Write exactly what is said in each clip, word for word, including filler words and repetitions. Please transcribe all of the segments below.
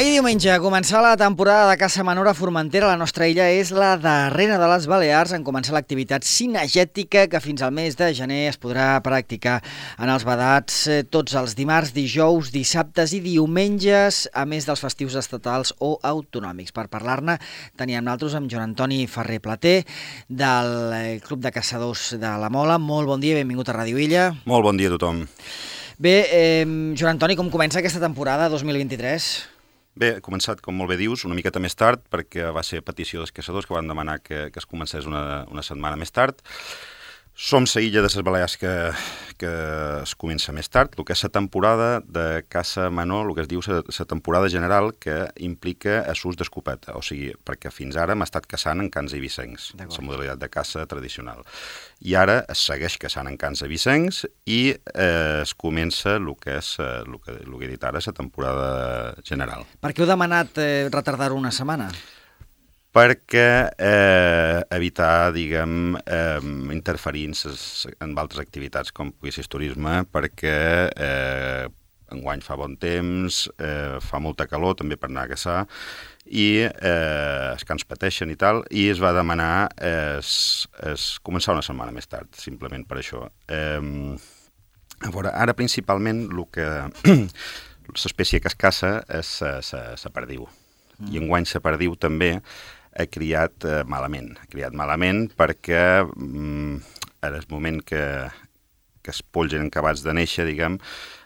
Ahir diumenge, a començar la temporada de caça menor a Formentera, la nostra illa és la darrera de les Balears en començar l'activitat cinegètica que fins al mes de gener es podrà practicar en els vedats eh, tots els dimarts, dijous, dissabtes i diumenges, a més dels festius estatals o autonòmics. Per parlar-ne, teníem nosaltres amb Joan Antoni Ferrer Plater, del eh, Club de Caçadors de la Mola. Molt bon dia, benvingut a Ràdio Illa. Molt bon dia a tothom. Bé, eh, Joan Antoni, com comença aquesta temporada dos mil vint-i-tres? Bé, he començat, com molt bé dius, una miqueta més tard, perquè va ser petició dels caçadors que van demanar que, que es comencés una, una setmana més tard. Som la illa de les Balears que, que es comença més tard, el que és la temporada de caça menor, el que es diu la temporada general, que implica assús d'escopeta, o sigui, perquè fins ara hem estat caçant en cans eivissencs, la modalitat de caça tradicional. I ara es segueix caçant en cans eivissencs i eh, es comença el que és el que, el que he dit ara, la temporada general. Per què heu demanat eh, retardar-ho una setmana? Perquè eh, evitar, diguem, eh, interferir en altres activitats com pugui ser turisme, perquè eh, enguany fa bon temps, eh, fa molta calor també per anar a caçar, i eh, els cans pateixen i tal, i es va demanar eh, es, es començar una setmana més tard, simplement per això. Eh, a veure, ara principalment el que l'espècie que es caça és la perdiu, mm. i enguany la perdiu també ha criat eh, malament. Ha criat malament perquè mm, en el moment que, que els polls eren acabats de néixer, diguem,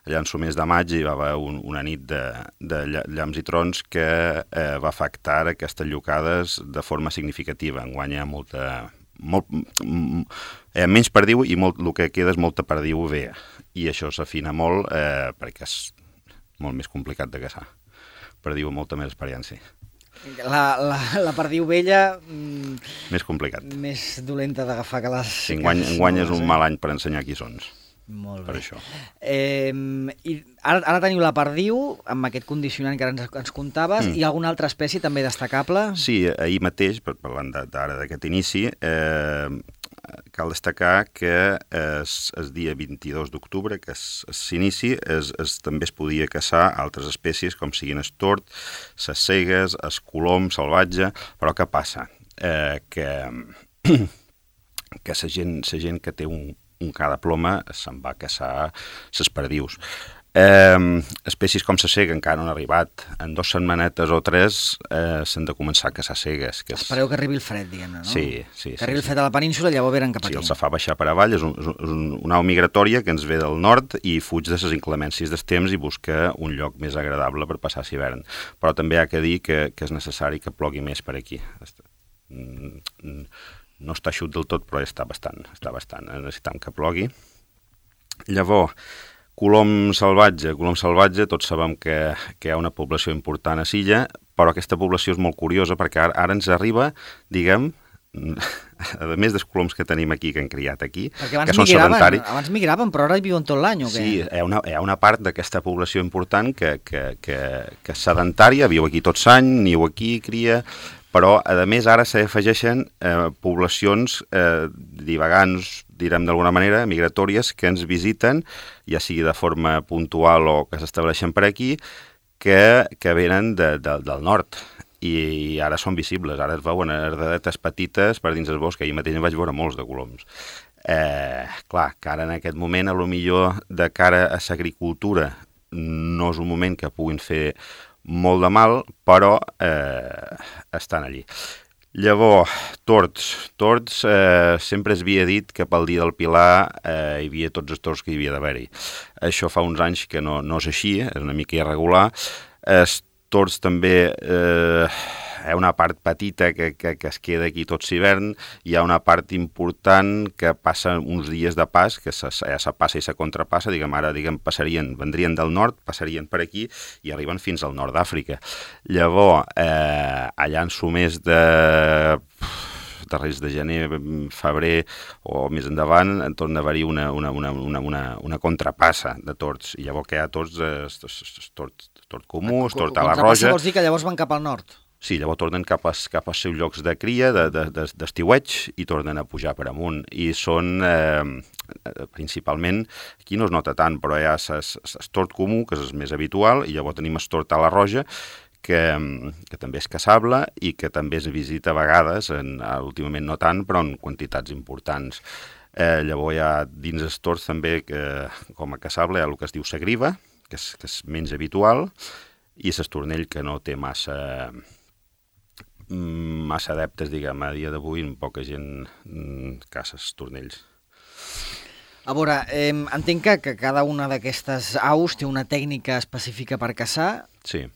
allà en el mes de maig hi va haver un, una nit de, de llamps i trons que eh, va afectar aquestes llocades de forma significativa. Enguany hi ha molta... Molt, mm, hi ha menys perdiu i molt, el que queda és molta perdiu vea. I això s'afina molt eh, perquè és molt més complicat de caçar. Perdiu amb molta més experiència. La, la, la perdiu vella... Mm, més complicat. Més dolenta d'agafar que les... Sí, enguany, enguany és un mal any per ensenyar qui sons. Molt per bé. Això. Eh, i ara, ara teniu la perdiu, amb aquest condicionant que ara ens, ens contaves, mm. i alguna altra espècie també destacable? Sí, ahir mateix, parlant d'ara d'aquest inici, eh, cal destacar que es, el dia vint-i-dos d'octubre, que s'inici, es, es, també es podia caçar altres espècies, com siguin el tord, les cegues, el colom salvatge, però què passa? Eh, que que la gent, la gent que té un, un ca de ploma se'n va caçar les perdius. Eh, espècies com la cega encara no han arribat. En dues setmanetes o tres eh, s'han de començar a caçar cegues. Que és... Espereu que arribi el fred, diguem-ne, no? Sí, sí. Que sí, arribi sí. el fred a la península i llavors venen cap aquí. Sí, els fa baixar per avall, és, un, és un, una au migratòria que ens ve del nord i fuig de les inclemències del temps i busca un lloc més agradable per passar l'hivern. Però també ha que dir que, que és necessari que plogui més per aquí. No està eixut del tot, però està bastant, està bastant. Necessitam que plogui. Llavors, colom salvatge. Colom salvatge, tots sabem que, que hi ha una població important a l'illa, però aquesta població és molt curiosa perquè ara, ara ens arriba, diguem, a més dels coloms que tenim aquí, que han criat aquí, que són sedentaris. Abans migraven, però ara hi viuen tot l'any, o què? Sí, hi ha una, hi ha una part d'aquesta població important que, que, que, que és sedentària, viu aquí tot l'any, niu aquí, cria... Però, a més, ara s'afegeixen eh, poblacions eh, divagants, direm d'alguna manera, migratòries, que ens visiten, ja sigui de forma puntual o que s'estableixen per aquí, que, que venen de, de, del nord. I, I ara són visibles, ara es veuen herdetes petites per dins el bosc, ahir mateix en vaig veure molts de coloms. Eh, clar, que ara en aquest moment, a lo millor de cara a l'agricultura, no és un moment que puguin fer molt de mal, però eh, estan allí. Llavors, tords. Tords, eh, sempre es havia dit que pel dia del Pilar eh, hi havia tots els tords que hi havia d'haver-hi. Això fa uns anys que no, no és així, és una mica irregular. Els tords també... Eh, hi ha una part petita que, que, que es queda aquí tot l'hivern, hi ha una part important que passa uns dies de pas, que se, ja se passa i se contrapassa, diguem, ara diguem, passarien, vendrien del nord, passarien per aquí i arriben fins al nord d'Àfrica. Llavors, eh, allà en su mes de... darrers de gener, febrer o més endavant, en torna a haver-hi una, una, una, una, una, una contrapassa de tords. I llavors que hi ha tords, eh, tord, tord comú, tord a la roja... Contrapassa vols dir que llavors van cap al nord? Sí, llavors tornen cap, a, cap als seus llocs de cria, d'estiueig, de, de, i tornen a pujar per amunt. I són, eh, principalment, aquí no es nota tant, però hi ha el tord comú, que és el més habitual, i llavors tenim el tord a la roja, que, que també és caçable i que també es visita a vegades, en, últimament no tant, però en quantitats importants. Eh, llavors hi ha dins els tords també, que, com a caçable, hi ha el que es diu sagriva, que és, que és menys habitual, i l'estornell, que no té massa... massa adeptes, diguem, a dia d'avui, poca gent caça estornells. A veure, eh, entenc que, que cada una d'aquestes aus té una tècnica específica per caçar. Sí.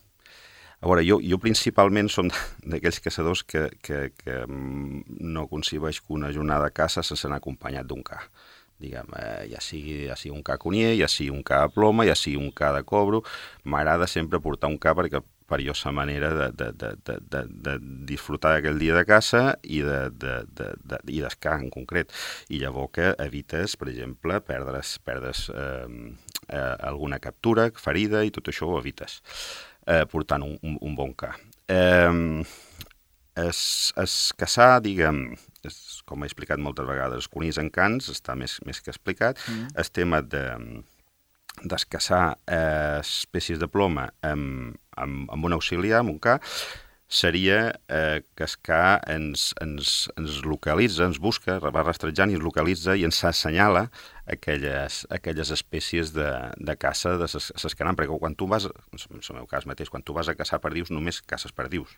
A veure, jo, jo principalment som d'aquells caçadors que, que, que no concebeix que una jornada de caça sense anar acompanyat d'un ca. Diguem, eh, ja, sigui, ja sigui un ca conier, ja sigui un ca de ploma, ja sigui un ca de cobro, m'agrada sempre portar un ca perquè perillosa manera de, de, de, de, de, de disfrutar d'aquell dia de caça i de, de, de, de, i d'escar en concret. I llavors que evites, per exemple, perdre's, perdre's eh, eh, alguna captura, ferida, i tot això ho evites, eh, portant un, un, un bon ca. Eh, es, es caçar, diguem, és, com he explicat moltes vegades, els conills en cans, està més, més que explicat, mm. el tema de d'escaçar eh, espècies de ploma amb, amb, amb un auxiliar, amb un ca, seria eh, que el ca ens, ens, ens localitza, ens busca, va rastrejant i ens localitza i ens assenyala aquelles, aquelles espècies de, de caça de ses canams, perquè quan tu vas, en el meu cas mateix, quan tu vas a caçar perdius, només caces perdius.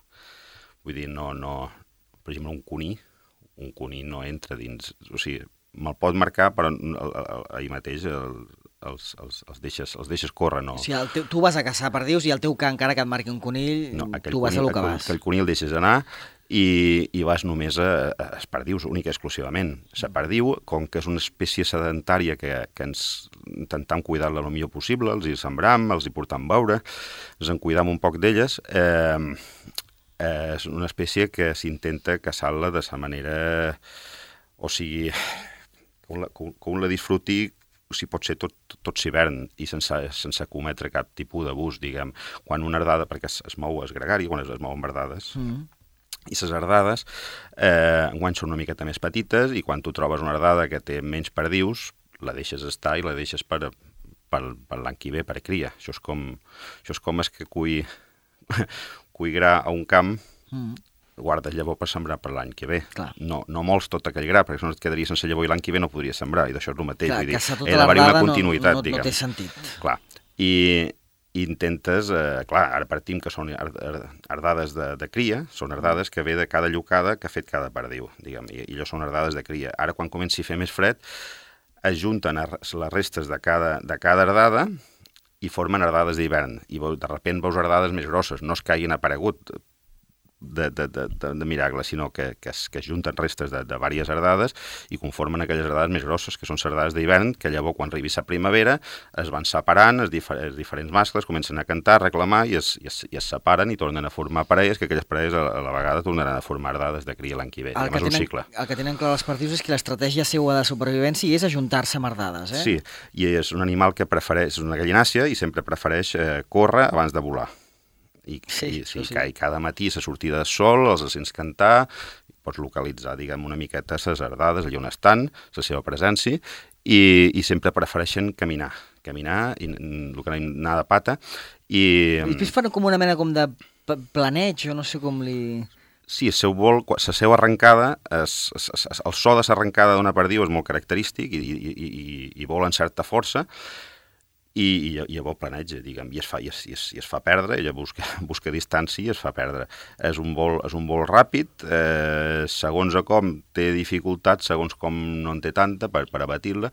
Vull dir, no, no, per exemple, un cuní, un cuní no entra dins, o sigui, me'l pot marcar, però ahir mateix el, Els, els, els, deixes, els deixes córrer, no? O sigui, teu, tu vas a caçar perdius i el teu ca, encara que et marqui un conill, no, tu vas conill, a lo que vas. Aquell conill el deixes anar i, i vas només a, a perdius, única i exclusivament. La perdiu, com que és una espècie sedentària que, que ens intentem cuidar-la el millor possible, els hi sembram, els hi portam beure, ens en cuidam un poc d'elles, eh, eh, és una espècie que s'intenta caçar-la de la manera... O sigui, que un la, que un la disfruti, o sigui, pot ser tot, tot l'hivern i sense, sense cometre cap tipus d'abús, diguem. Quan una ardada, perquè es, es mou el gregari, quan es, es mouen ardades, mm. i les ardades eh, enguany són una miqueta més petites i quan tu trobes una ardada que té menys perdius, la deixes estar i la deixes per, per, per l'any que ve, per cria. Això és com, això és com és que cull, cull gra a un camp, mm. guardes llavor per sembrar per l'any que ve. No, no mols tot aquell gra, perquè si no et quedaria sense llavor i l'any que ve no podries sembrar, i d'això és el mateix. Clar, vull dir, tota he d'haver una continuïtat, no, no, diguem. No té sentit. Clar, i, i intentes, eh, clar, ara partim que són ardades de, de cria, són ardades que ve de cada llocada que ha fet cada perdiu, diguem, i, i allò són ardades de cria. Ara, quan comenci a fer més fred, es junten les restes de cada, de cada ardada i formen ardades d'hivern, i de sobte veus ardades més grosses, no es que hagin aparegut de, de, de, de miracle, sinó que, que, es, que es junten restes de, de diverses ardades i conformen aquelles ardades més grosses, que són les ardades d'hivern, que llavors, quan arribi la primavera, es van separant, els, difer els diferents mascles comencen a cantar, a reclamar, i es, i, es, i es separen i tornen a formar parelles, que aquelles parelles a, a la vegada tornaran a formar ardades de cria l'any que ve. El que, tenen, el que tenen clar els perdius és que l'estratègia seva de supervivència és ajuntar-se amb ardades, eh? Sí, i és un animal que prefereix, és una gallinàcia, i sempre prefereix eh, córrer abans de volar. I, sí, i, sí, sí. I cada matí a la sortida del sol els sents cantar, pots localitzar, diguem, una miqueta les ardades allà on estan, la seva presència, i, i sempre prefereixen caminar, caminar, i el que anem anar de pata. I, I després fan com una mena com de planeig, jo no sé com li... Sí, el seu vol, la seva arrencada, es, es, es, el so de l'arrencada d'una perdiu és molt característic i, i, i, i vol en certa força, i, i, i llavors planeja, diguem, i es fa, i es, i es, i es fa perdre, ella busca, busca distància i es fa perdre. És un vol, és un vol ràpid, eh, segons a com té dificultat, segons com no en té tanta per, per abatir-la,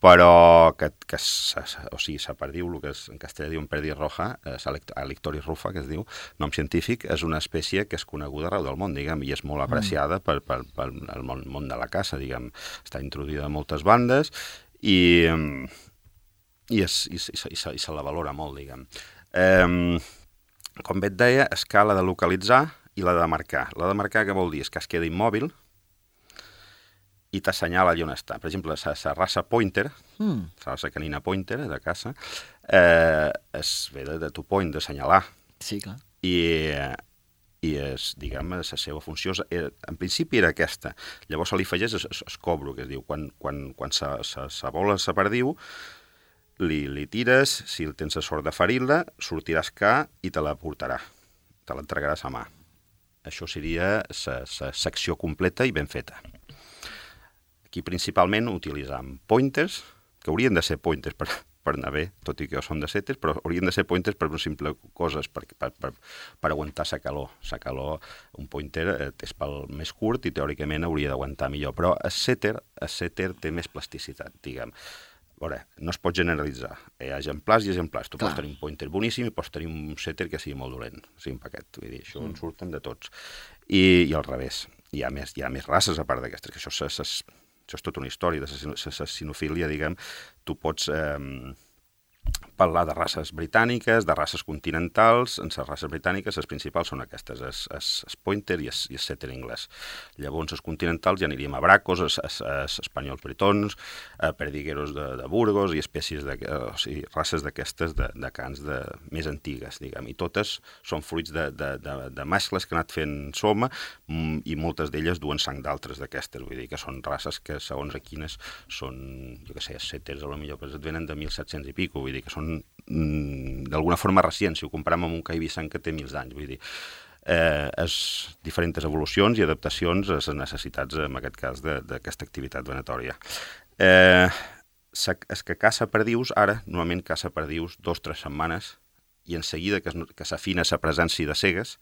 però que, que o sigui, la perdiu, el que és, en castellà diuen perdiz roja, eh, Alictoris rufa, que es diu, nom científic, és una espècie que és coneguda arreu del món, diguem, i és molt apreciada per, per, per el món, món de la caça, diguem, està introduïda a moltes bandes, i... i, es, i, i, i, se, i se la valora molt, diguem. Eh, com bé et deia, es cal la de localitzar i la de marcar. La de marcar, què vol dir? És que es queda immòbil i t'assenyala allà on està. Per exemple, la raça pointer, mm. la raça canina pointer de caça, eh, es ve de, de to point, d'assenyalar. Sí, clar. I... i és, diguem, la seva funció, en principi era aquesta. Llavors se li afegeix el cobro, que es diu, quan, quan, quan se, se, se vola la perdiu, li, li tires, si tens la sort de ferir-la, sortiràs ca i te la portarà. te l'entregaràs a mà. Això seria la secció completa i ben feta. Aquí principalment utilitzam pointers, que haurien de ser pointers per, per anar bé, tot i que són de setes, però haurien de ser pointers per una simple coses, per, per, per, per aguantar la calor. La calor, un pointer és pel més curt i teòricament hauria d'aguantar millor, però el setter, el setter té més plasticitat, diguem. A veure, no es pot generalitzar. Hi ha exemplars i exemplars. Tu Clar. Pots tenir un pointer boníssim i pots tenir un setter que sigui molt dolent, sigui un paquet. Vull dir, això mm. en surten de tots. I, i al revés. Hi ha més, hi ha més races a part d'aquestes, que això, això, això és tota una història de la cinofília, diguem. Tu pots eh, parlar de races britàniques, de races continentals. En les races britàniques les principals són aquestes, el pointer i el setter anglès. Llavors, els continentals ja aniríem a bracos, els espanyols britons, a perdigueros de, de Burgos i espècies de, o sigui, races d'aquestes de, de cans de, més antigues, diguem. I totes són fruits de, de, de, de mescles que han anat fent soma i moltes d'elles duen sang d'altres d'aquestes. Vull dir que són races que, segons a quines, són, jo què sé, els setters a lo millor pues, et venen de mil set-cents i pico, vull dir que són mm, d'alguna forma recents, si ho comparem amb un caibissant que té mil anys, vull dir, eh, és diferents evolucions i adaptacions a les necessitats, en aquest cas, d'aquesta activitat venatòria. Eh, és que caça perdius, ara, normalment caça perdius dos o tres setmanes i en seguida que, es, que s'afina la presència de cegues,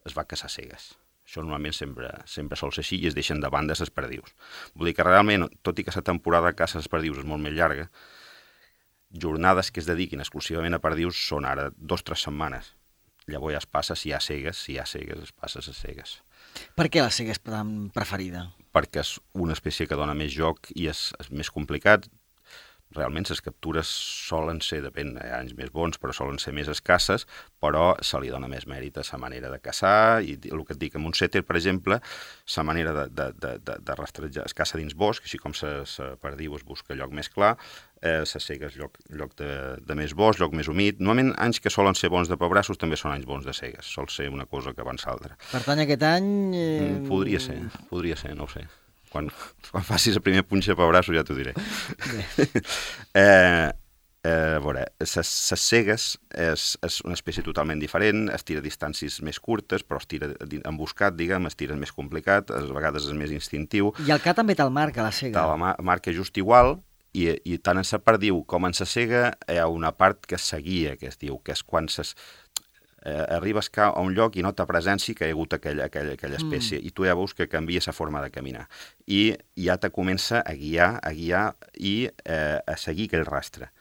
es va caçar cegues. Això normalment sempre, sempre sol ser així i es deixen de banda les perdius. Vull dir que realment, tot i que la temporada de caça de perdius és molt més llarga, jornades que es dediquin exclusivament a perdius són ara dos o tres setmanes. Llavors ja es passa, si hi ha cegues, si hi ha cegues, es passa a les cegues. Per què la cega és tan preferida? Perquè és una espècie que dona més joc i és, és més complicat. Realment les captures solen ser, depèn, hi ha anys més bons, però solen ser més escasses, però se li dona més mèrit a la manera de caçar, i el que et dic, amb un setter, per exemple, la manera de, de, de, de, de rastrejar, es caça dins bosc, així com la perdiu es busca lloc més clar, eh, la cega és lloc, lloc de, de més bosc, lloc més humit. Normalment anys que solen ser bons de pebrassos també són anys bons de cegues, sol ser una cosa que abans l'altra. Per tant, aquest any... Eh... Podria ser, podria ser, no ho sé. Quan, quan facis el primer punxa per braços ja t'ho diré. eh, eh, a veure, les cegues és, és una espècie totalment diferent, es tira a distàncies més curtes, però es tira emboscat, diguem, es tira més complicat, a vegades és més instintiu. I el ca també te'l marca, la cega. Te'l marca just igual, i, i tant en la perdiu com en la cega hi ha una part que es seguia, que es diu, que és quan ses... Eh, arribes a un lloc i nota presència que hi ha hagut aquella, aquella, aquella espècie mm. i tu ja veus que canvia la forma de caminar i ja te comença a guiar, a guiar i eh, a seguir aquell rastre.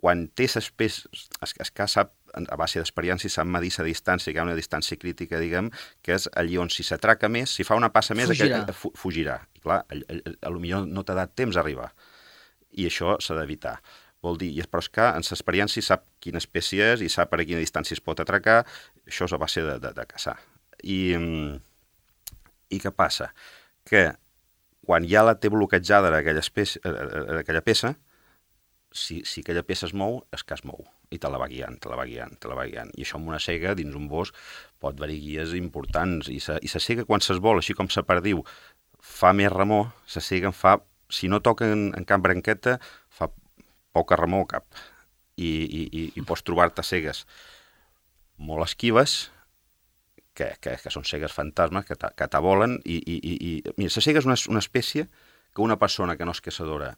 Quan té l'espècie, es, es sap, a base d'experiència, sap medir la distància, que hi ha una distància crítica, diguem, que és allí on si s'atraca més, si fa una passa més, fugirà. Aquell, fugirà. I clar, a, a, a, a lo millor no t'ha dat temps a arribar i això s'ha d'evitar. Vol dir, però és que en l'experiència sap quina espècie és i sap a quina distància es pot atracar, això és a base de, de, de caçar. I, I què passa? Que quan ja la té bloquejada aquella, espècie, aquella peça, si, si aquella peça es mou, és que es mou, i te la va guiant, te la va guiant, te la va guiant. I això amb una cega, dins un bosc, pot haver-hi guies importants, i la, i la cega quan s'esvola, així com la perdiu, fa més remor, la cega en fa, si no toca en, en cap branqueta, fa poca remor cap, i, i, i, i pots trobar-te cegues molt esquives, que, que, que són cegues fantasmes, que t'avolen, i, i, i, i... Mira, la cega és una, una espècie que una persona que no és caçadora,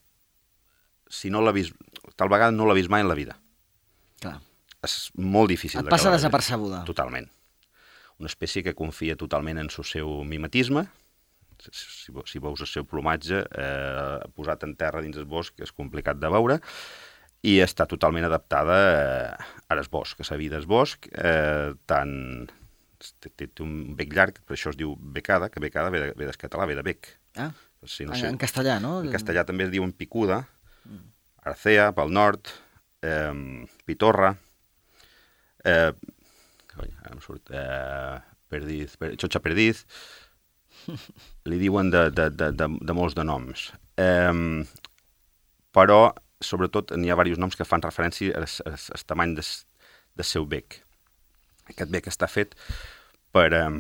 si no l'ha vist, tal vegada no l'ha vist mai en la vida. Clar. És molt difícil. Et passa desapercebuda. Totalment. Una espècie que confia totalment en el seu mimetisme. Si, si veus el seu plomatge eh, posat en terra dins el bosc és complicat de veure i està totalment adaptada eh, a el bosc, a la vida del bosc, eh, tant té, té, té un bec llarg, per això es diu becada, que becada ve, de, ve del català, ve de bec. Ah, si no en, sé, en castellà, no? En castellà també es diu picuda, arcea pel nord, eh, pitorra, eh, ara em surt, eh, perdiz, per, xotxa perdiz, li diuen de, de, de, de, de molts de noms. Eh, però, sobretot, n'hi ha diversos noms que fan referència al, al, al tamany del, del seu bec. Aquest bec està fet per, eh,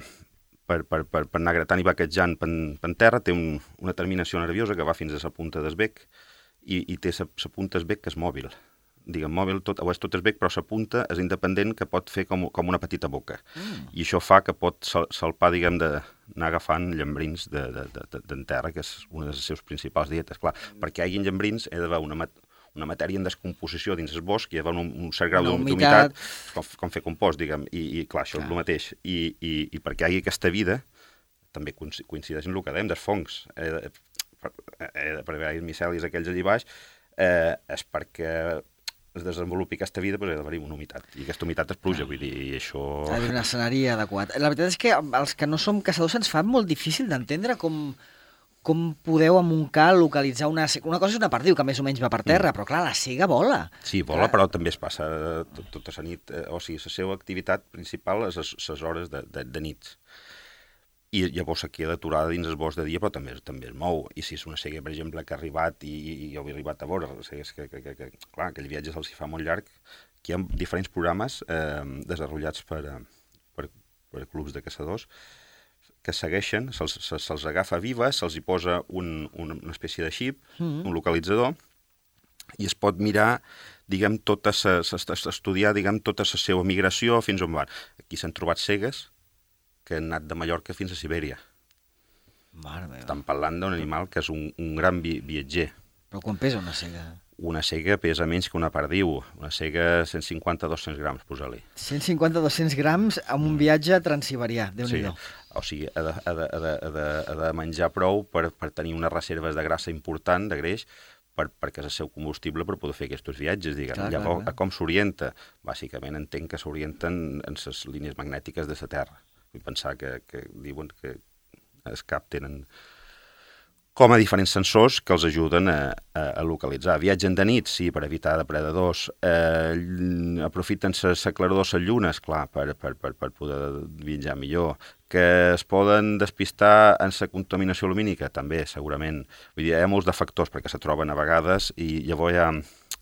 per, per, per, per anar gratant i vaquejant per, per terra, té un, una terminació nerviosa que va fins a la punta del bec i, i té la punta del bec que és mòbil. diguem, mòbil, tot, o és tot és bec, però la punta és independent, que pot fer com, com una petita boca. Mm. I això fa que pot sal, salpar, diguem, d'anar agafant llambrins de, de, de, de terra, que és una de les seves principals dietes. Clar, mm. perquè hi hagi llambrins he d'haver una, mat una matèria en descomposició dins el bosc, i hi ha un, un cert grau d'humitat, com, com fer compost, diguem, i, i clar, això clar. És el mateix. I, i, I perquè hi hagi aquesta vida, també coincideix en el que dèiem dels fongs. Eh, per, eh, per haver micelis aquells allà baix, eh, és perquè es desenvolupi aquesta vida, doncs ha d'haver-hi una humitat. I aquesta humitat és pluja, vull dir, i això... Ha d'haver un escenari adequat. La veritat és que els que no som caçadors se'ns fa molt difícil d'entendre com... com podeu amb un cal localitzar una... Una cosa és una perdiu, que més o menys va per terra, mm. però clar, la cega vola. Sí, vola, clar. Però també es passa tot, tota la nit. Eh, o sigui, la seva activitat principal és les hores de, de, de nits. I llavors se queda aturada dins el bosc de dia, però també, també es mou. I si és una cega, per exemple, que ha arribat i, i jo he arribat a veure, cegues que, que, que, que, clar, aquell viatge se'ls fa molt llarg, que hi ha diferents programes eh, desenvolupats per, per, per clubs de caçadors, que segueixen, se'ls se, se agafa vives, se'ls hi posa un, un, una espècie de xip, mm. un localitzador, i es pot mirar, diguem, tota sa, estudiar, diguem, tota la seva migració fins on van. Aquí s'han trobat cegues que han anat de Mallorca fins a Sibèria. Mare meva. Estan parlant d'un animal que és un, un gran vi viatger. Però quan pesa una cega? Una cega pesa menys que una perdiu. Una cega cent cinquanta a dos-cents grams, posa-li. cent cinquanta a dos-cents grams amb un viatge transsiberià, Déu-n'hi-do. Sí. O sigui, ha de, ha de, ha de, ha de, ha de menjar prou per, per tenir unes reserves de grassa important, de greix, per, perquè és el seu combustible per poder fer aquests viatges, diguem. Clar, Llavors, clar, clar. Com s'orienta? Bàsicament entenc que s'orienten en les línies magnètiques de la Terra. Vull pensar que, que diuen que es capten com a diferents sensors que els ajuden a, a, a localitzar. Viatgen de nit, sí, per evitar depredadors. Eh, aprofiten la claror de les llunes, clar, per, per, per, per poder viatjar millor. Que es poden despistar en la contaminació lumínica, també, segurament. Vull dir, hi ha molts de factors perquè se troben a vegades i llavors hi ha,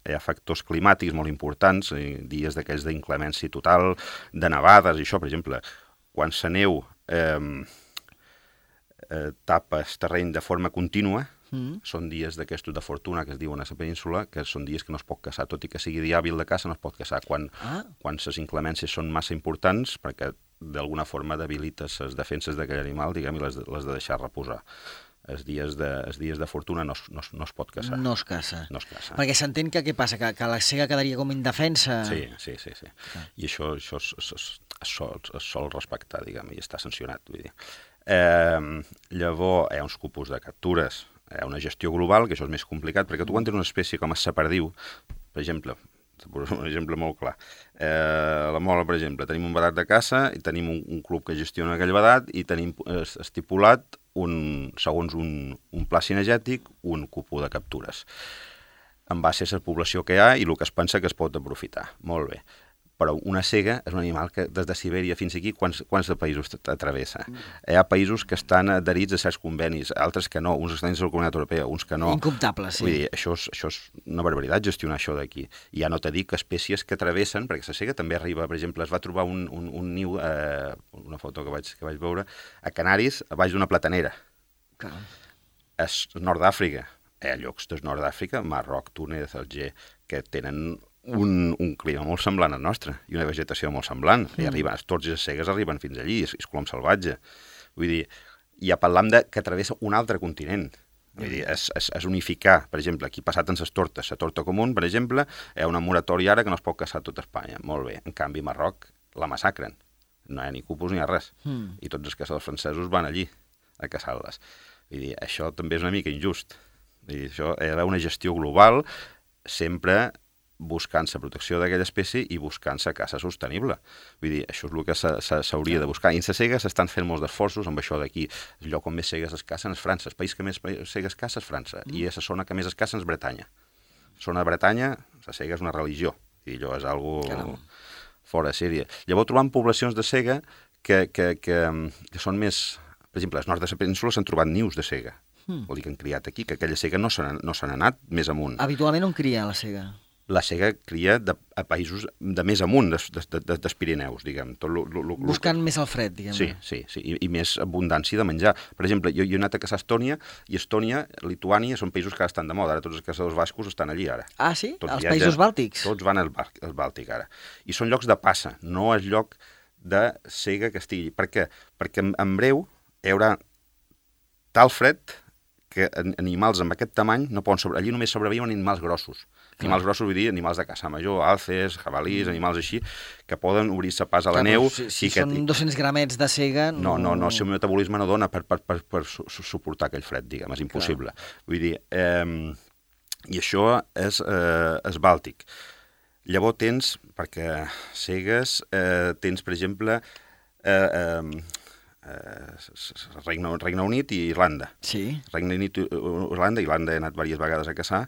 hi ha factors climàtics molt importants, dies d'aquells d'inclemència total, de nevades i això, per exemple, quan la neu eh, eh, tapa el terreny de forma contínua, mm. són dies d'aquestos de fortuna que es diuen a la península, que són dies que no es pot caçar, tot i que sigui dia hàbil de caça, no es pot caçar. Quan, ah. quan les inclemències són massa importants, perquè d'alguna forma debilites les defenses d'aquell animal, diguem, i les, les de deixar reposar. Els dies de, els dies de fortuna no, no, no es pot caçar. No es caça. No es caça. Perquè s'entén que què passa? Que, que la cega quedaria com indefensa? Sí, sí, sí. sí. Ah. I això, això es, es, es, es, sol, es sol respectar, diguem, i està sancionat. Vull dir. Eh, llavors, hi ha uns cupos de captures, hi ha una gestió global, que això és més complicat, perquè tu quan tens una espècie com el saperdiu, per exemple, un exemple molt clar. Eh, a la Mola, per exemple, tenim un vedat de caça i tenim un, un club que gestiona aquell vedat i tenim eh, estipulat, un, segons un, un pla cinegètic, un cupó de captures. En base a la població que hi ha i el que es pensa que es pot aprofitar. Molt bé. Però una cega és un animal que des de Sibèria fins aquí, quants, quants de països travessa? Mm. Hi ha països que estan adherits a certs convenis, altres que no, uns estan dins de la Comunitat Europea, uns que no. Incomptable, sí. Vull dir, això és, això és una barbaritat, gestionar això d'aquí. I ja no t'he dit que espècies que travessen, perquè la cega també arriba, per exemple, es va trobar un, un, un niu, eh, una foto que vaig, que vaig veure, a Canaris, a baix d'una platanera. Clar. És nord d'Àfrica. Hi ha llocs del nord d'Àfrica, Marroc, Túnez, Alger, que tenen Un, un clima molt semblant al nostre i una vegetació molt semblant. Mm. I arriben, els tords i les cegues arriben fins allí, és, és colom salvatge. Vull dir, ja parlam de que travessa un altre continent. Vull dir, és, és, és unificar, per exemple, aquí passat en les tortes, la torta comú, per exemple, hi ha una moratòria ara que no es pot caçar a tota Espanya. Molt bé. En canvi, a Marroc la massacren. No hi ha ni cupos ni res. Mm. I tots els caçadors francesos van allí a caçar-les. Vull dir, això també és una mica injust. Vull dir, això hi ha d'haver una gestió global, sempre buscant la protecció d'aquella espècie i buscant la caça sostenible. Vull dir, això és el que s'hauria de buscar. I en la cega s'estan fent molts d'esforços amb això d'aquí. El lloc on més cegues es cacen és França. El país que més cegues caça és França. Mm. I la zona que més es caça és Bretanya. La zona de Bretanya, la cega és una religió. I allò és algo Caram. fora de sèrie. Llavors trobam poblacions de cega que, que, que, que són més... Per exemple, als nord de la península s'han trobat nius de cega. Mm. Vol dir que han criat aquí, que aquella cega no se n'ha no se n'ha anat més amunt. Habitualment on cria la cega? la sega cria de, a països de més amunt des, des, des, dels Pirineus, diguem. Tot lo, lo, lo, Buscant lo... més el fred, diguem. Sí, sí, sí, i, i més abundància de menjar. Per exemple, jo, jo he anat a caçar a Estònia, i Estònia, Lituània, són països que estan de moda. Ara tots els caçadors bascos estan allí, ara. Ah, sí? Tots Els viatgen, països bàltics? Tots van al, al Bàltic, ara. I són llocs de passa, no és lloc de sega que estigui. Per què? Perquè en, en breu hi haurà tal fred que animals amb aquest tamany no poden sobre... Allí només sobreviuen animals grossos. Clar. Animals grossos vull dir animals de caça major, alces, jabalís, mm. animals així, que poden obrir-se pas a la Clar, neu. Si, si que... són dos-cents gramets de sega... No, no, no, el seu metabolisme no dona per, per, per, per su suportar aquell fred, diguem, és impossible. Clar. Vull dir, eh, i això és, eh, és bàltic. Llavors tens, perquè segues, eh, tens, per exemple, eh, eh, eh, Regne, Regne Unit i Irlanda. Sí. Regne Unit i Irlanda, Irlanda he anat diverses vegades a caçar,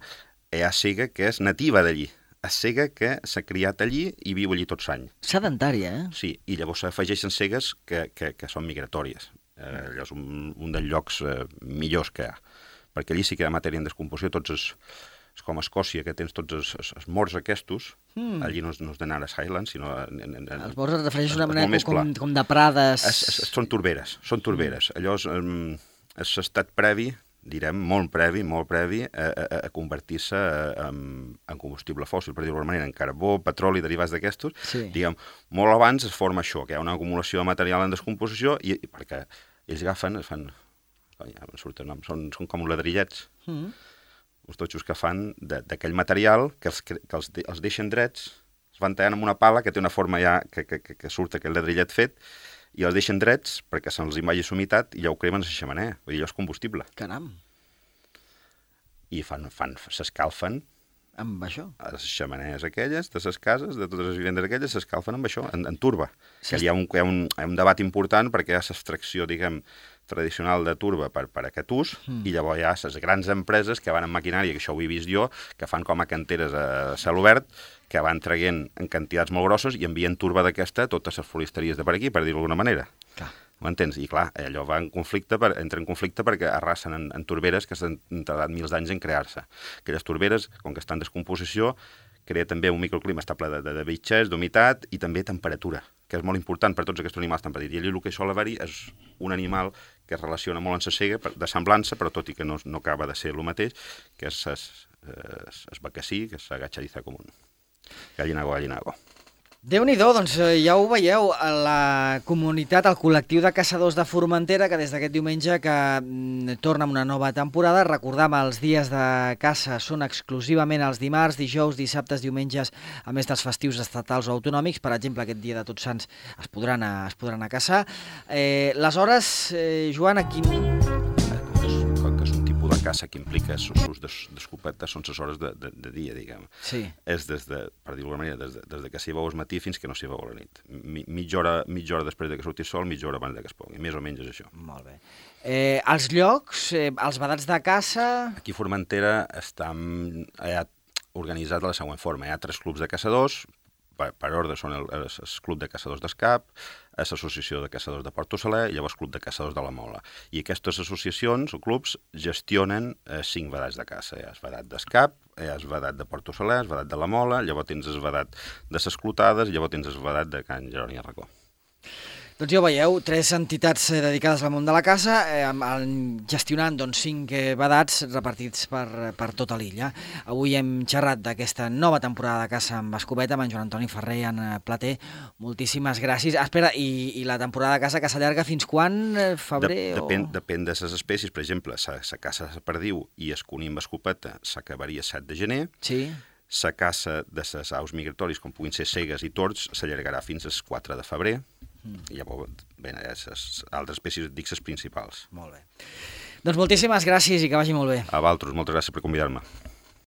hi ha sega que és nativa d'allí. És sega que s'ha criat allí i viu allí tot l'any. Sedentària, eh? Sí, i llavors s'afegeixen segues que, que, que són migratòries. Eh, allò és un, un dels llocs eh, millors que hi ha. Perquè allí sí que hi ha matèria en descomposició, tots els... És com a Escòcia, que tens tots els, els, els morts aquests, mm. allí no és, no és d'anar a Highlands, sinó... En, en, en, els morts es refereixen d'una manera com, com de prades... Es, es, són torberes, són torberes. Mm. Allò és, um, és estat previ, direm, molt previ, molt previ, a, a, a convertir-se en, en combustible fòssil, per dir-ho d'alguna manera, en carbó, petroli, derivats d'aquestos. Sí. Diguem, molt abans es forma això, que hi ha una acumulació de material en descomposició, i, i perquè ells agafen, es fan... Ja em surten noms, són, són com ladrillets. Mm. uns totxos que fan d'aquell material que els, que els, de, els deixen drets, els van tallant amb una pala que té una forma ja que, que, que, que surt aquell ladrillet fet, i els deixen drets perquè se'ls vagi humitat i ja ho cremen a la xemeneia. Vull dir, allò és combustible. Caram. I fan, fan, s'escalfen amb això? A les xemeneies aquelles, de les cases, de totes les vivendes aquelles, s'escalfen amb això, en, en turba. Que hi ha, un, hi, ha un, hi ha un debat important perquè hi ha l'extracció, diguem, tradicional de turba per, per aquest ús, mm. i llavors hi ha les grans empreses que van amb maquinària, que això ho he vist jo, que fan com a canteres a cel obert, que van traient en quantitats molt grosses i envien turba d'aquesta a totes les floristeries de per aquí, per dir-ho d'alguna manera. Clar. M'entens? I clar, allò va en conflicte, per, entra en conflicte perquè arrasen en, en turberes que s'han tardat mils d'anys en crear-se. Aquelles turberes, com que estan en descomposició, crea també un microclima estable de, de, de bitxes, d'humitat i també temperatura, que és molt important per tots aquests animals tan petits. I allà el que sol haver-hi és un animal que es relaciona molt amb la sega, de semblança, però tot i que no, no acaba de ser el mateix, que és el bacací, que és la gatxadiza común. Gallinago, gallinago. Déu-n'hi-do, doncs ja ho veieu, la comunitat, el col·lectiu de caçadors de Formentera, que des d'aquest diumenge que mm, torna amb una nova temporada. Recordam, els dies de caça són exclusivament els dimarts, dijous, dissabtes, diumenges, a més dels festius estatals o autonòmics. Per exemple, aquest dia de Tots Sants es podran anar, es podran anar a caçar. Eh, les hores, eh, Joan, a quin... de caça que implica l'ús d'escopeta són les hores de, de, de dia, diguem. Sí. És des de, per dir-ho d'alguna manera, des de, des de que s'hi veu al matí fins que no s'hi veu a la nit. Mi, mitja, hora, mitja hora després de que surti el sol, mitja hora abans de que es pongui. Més o menys és això. Molt bé. Eh, els llocs, eh, els vedats de caça... Aquí a Formentera està ha organitzat de la següent forma. Hi ha tres clubs de caçadors, per, per ordre són el, el, el Club de Caçadors d'Escap, l'Associació de Caçadors de Port Ossaler i llavors Club de Caçadors de la Mola. I aquestes associacions o clubs gestionen eh, cinc vedats de caça. Hi ha el vedat d'Escap, hi ha el vedat de Port Ossaler, el vedat de la Mola, llavors tens el vedat de les Clotades i llavors tens el vedat de Can Jeroni Arracó. Doncs ja ho veieu, tres entitats eh, dedicades al món de la caça, eh, gestionant doncs, cinc eh, vedats repartits per, per tota l'illa. Avui hem xerrat d'aquesta nova temporada de caça amb escopeta amb en Joan Antoni Ferrer i en Plater. Moltíssimes gràcies. Ah, espera, i, i la temporada de caça que s'allarga fins quan? Febrer? De, depèn, o... depèn de les espècies. Per exemple, la caça de perdiu i el conill amb escopeta s'acabaria set de gener. Sí. La caça de les aus migratoris, com puguin ser cegues i tords, s'allargarà fins al quatre de febrer. Mm. I llavors, bé, les altres espècies, dic les principals. Molt bé. Doncs moltíssimes gràcies i que vagi molt bé. A vosaltres, moltes gràcies per convidar-me.